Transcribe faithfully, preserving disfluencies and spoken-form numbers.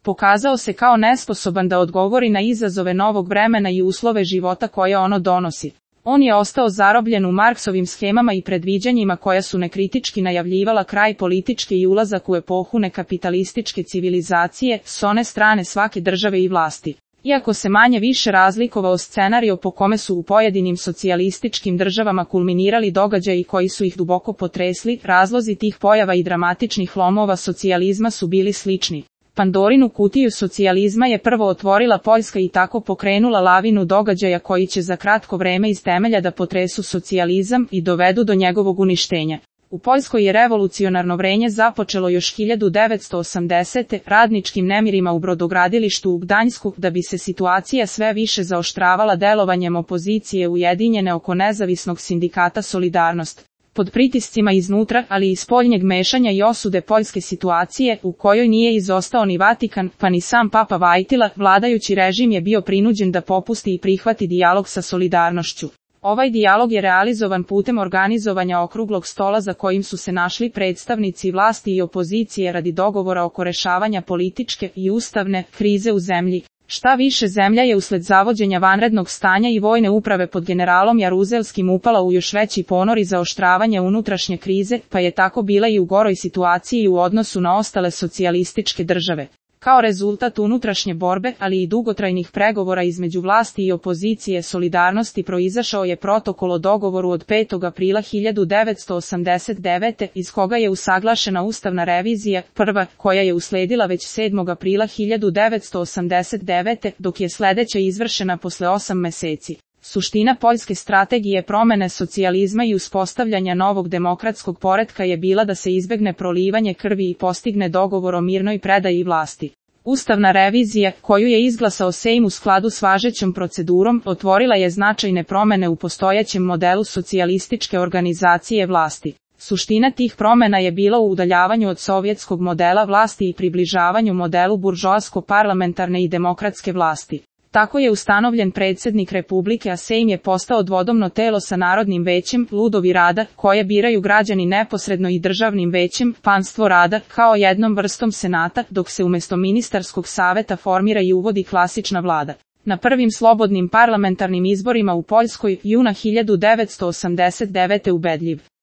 Pokazao se kao nesposoban da odgovori na izazove novog vremena i uslove života koje ono donosi. On je ostao zarobljen u Marksovim schemama i predviđanjima koja su nekritički najavljivala kraj političke i ulazak u epohu nekapitalističke civilizacije s one strane svake države i vlasti. Iako se manje više razlikovao scenario po kome su u pojedinim socijalističkim državama kulminirali događaji koji su ih duboko potresli, razlozi tih pojava i dramatičnih lomova socijalizma su bili slični. Pandorinu kutiju socijalizma je prvo otvorila Poljska i tako pokrenula lavinu događaja koji će za kratko vreme iz temelja da potresu socijalizam i dovedu do njegovog uništenja. U Poljskoj je revolucionarno vrenje započelo još hiljadu devetsto osamdesete radničkim nemirima u brodogradilištu u Gdanjsku, da bi se situacija sve više zaoštravala delovanjem opozicije ujedinjene oko nezavisnog sindikata Solidarnost. Pod pritiscima iznutra, ali i spoljnjeg mešanja i osude poljske situacije, u kojoj nije izostao ni Vatikan, pa ni sam Papa Vajtila, vladajući režim je bio prinuđen da popusti i prihvati dijalog sa Solidarnošću. Ovaj dijalog je realizovan putem organizovanja okruglog stola za kojim su se našli predstavnici vlasti i opozicije radi dogovora oko rešavanja političke i ustavne krize u zemlji. Šta više, zemlja je usled zavođenja vanrednog stanja i vojne uprave pod generalom Jaruzelskim upala u još veći ponor i zaoštravanje unutrašnje krize, pa je tako bila i u goroj situaciji u odnosu na ostale socijalističke države. Kao rezultat unutrašnje borbe, ali i dugotrajnih pregovora između vlasti i opozicije Solidarnosti proizašao je protokol o dogovoru od petog aprila hiljadu devetsto osamdeset devete, iz koga je usaglašena ustavna revizija, prva, koja je usledila već sedmog aprila hiljadu devetsto osamdeset devete, dok je sledeća izvršena posle osam meseci. Suština poljske strategije promene socijalizma i uspostavljanja novog demokratskog poretka je bila da se izbegne prolivanje krvi i postigne dogovor o mirnoj predaji vlasti. Ustavna revizija, koju je izglasao Sejm u skladu s važećom procedurom, otvorila je značajne promene u postojećem modelu socijalističke organizacije vlasti. Suština tih promena je bila u udaljavanju od sovjetskog modela vlasti i približavanju modelu buržoasko-parlamentarne i demokratske vlasti. Tako je ustanovljen predsjednik Republike, a Sejm je postao dvodomno telo sa Narodnim većem, ludovi rada, koje biraju građani neposredno, i Državnim većem, panstvo rada, kao jednom vrstom senata, dok se umjesto ministarskog saveta formira i uvodi klasična vlada. Na prvim slobodnim parlamentarnim izborima u Poljskoj, juna hiljadu devetsto osamdeset devete ubedljiv